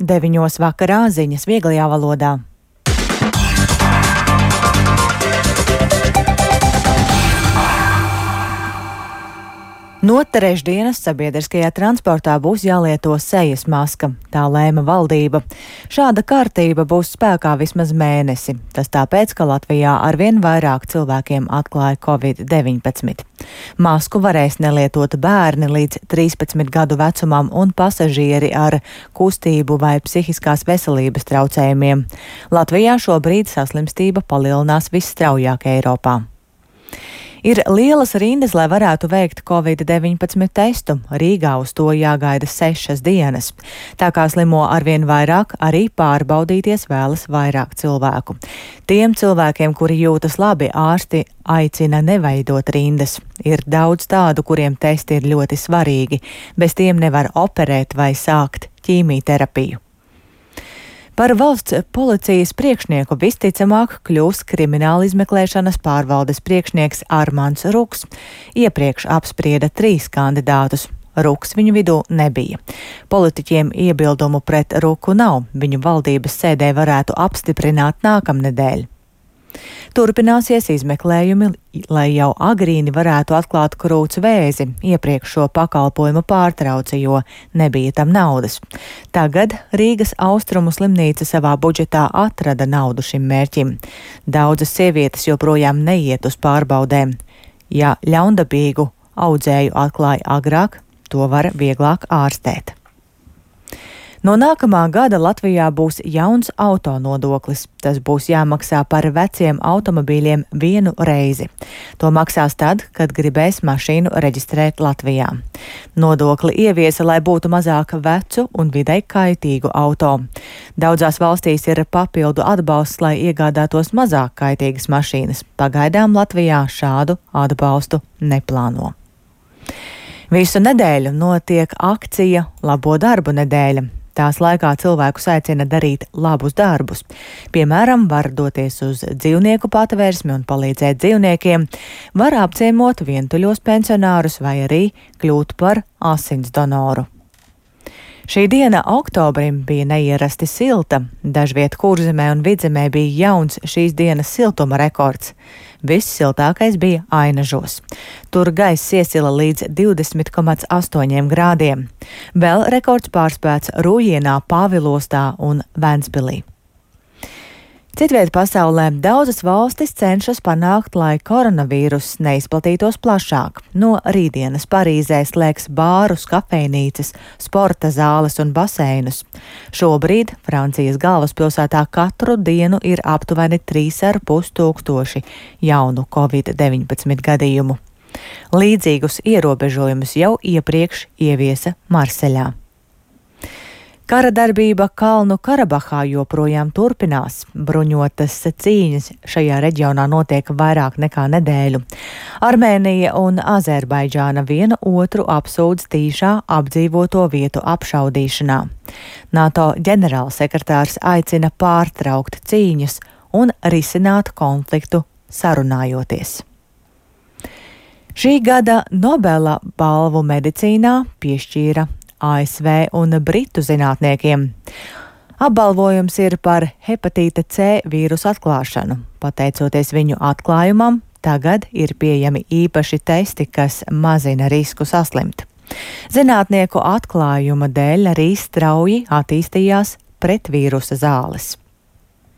9 vakarā ziņas vieglajā valodā. No trešdienas sabiedriskajā transportā būs jālieto sejas maska, tā lēma valdība. Šāda kārtība būs spēkā vismaz mēnesi. Tas tāpēc, ka Latvijā arvien vairāk cilvēkiem atklāja Covid-19. Masku varēs nelietot bērni līdz 13 gadu vecumam un pasažieri ar kustību vai psihiskās veselības traucējumiem. Latvijā šobrīd saslimstība palielinās visstraujāk Eiropā. Ir lielas rindas, lai varētu veikt Covid-19 testu. Rīgā uz to jāgaida 6 dienas. Tā kā slimo arvien vairāk, arī pārbaudīties vēlas vairāk cilvēku. Tiem cilvēkiem, kuri jūtas labi, ārsti aicina neveidot rindas. Ir daudz tādu, kuriem testi ir ļoti svarīgi. Bez tiem nevar operēt vai sākt ķīmijterapiju. Par valsts policijas priekšnieku visticamāk kļūs krimināla izmeklēšanas pārvaldes priekšnieks Armands Ruks. Iepriekš apsprieda 3 kandidātus. Ruks viņu vidū nebija. Politiķiem iebildumu pret Ruku nav. Viņu valdības sēdē varētu apstiprināt nākamnedēļ. Turpināsies izmeklējumi, lai jau agrīni varētu atklāt krūts vēzi. Iepriekš šo pakalpojumu pārtrauca, jo nebija tam naudas. Tagad Rīgas Austrumu slimnīca savā budžetā atrada naudu šim mērķim. Daudzas sievietes joprojām neiet uz pārbaudēm. Ja ļaundabīgu audzēju atklāja agrāk, to var vieglāk ārstēt. No nākamā gada Latvijā būs jauns auto nodoklis. Tas būs jāmaksā par veciem automobīļiem 1 reizi. To maksās tad, kad gribēs mašīnu reģistrēt Latvijā. Nodokli ieviesa, lai būtu mazāk vecu un videi kaitīgu auto. Daudzās valstīs ir papildu atbalsts, lai iegādātos mazāk kaitīgas mašīnas. Pagaidām Latvijā šādu atbalstu neplāno. Visu nedēļu notiek akcija Labo darbu nedēļa. Tās laikā cilvēkus aicina darīt labus darbus. Piemēram, var doties uz dzīvnieku patvērsmi un palīdzēt dzīvniekiem, var apciemot vientuļos pensionārus vai arī kļūt par asins donoru. Šī diena oktobrim bija neierasti silta. Dažviet Kurzemē un Vidzemē bija jauns šīs dienas siltuma rekords. Vissiltākais bija Ainažos. Tur gaiss iesila līdz 20,8 grādiem. Vēl rekords pārspēts Rūjienā, Pāvilostā un Ventspilī. Citviet pasaulē daudzas valstis cenšas panākt, lai koronavīruss neizplatītos plašāk. No rītdienas Parīzē slēgs bārus, kafejnīcas, sporta zāles un baseinus. Šobrīd Francijas galvaspilsētā katru dienu ir aptuveni 3,5 tūkstoši jaunu Covid-19 gadījumu. Līdzīgus ierobežojumus jau iepriekš ieviesa Marseļā. Kara darbība Kalnu Karabahā joprojām turpinās. Bruņotas cīņas šajā reģionā notiek vairāk nekā nedēļu. Armēnija un Azerbaidžāna viena otru apsūdz tīšā apdzīvoto vietu apšaudīšanā. NATO ģenerālsekretārs aicina pārtraukt cīņas un risināt konfliktu sarunājoties. Šī gada Nobela balvu medicīnā piešķīra ASV un Britu zinātniekiem. Apbalvojums ir par hepatīta C vīrusu atklāšanu. Pateicoties viņu atklājumam, tagad ir pieejami īpaši testi, kas mazina risku saslimt. Zinātnieku atklājuma dēļ arī strauji attīstījās pretvīrusa zāles.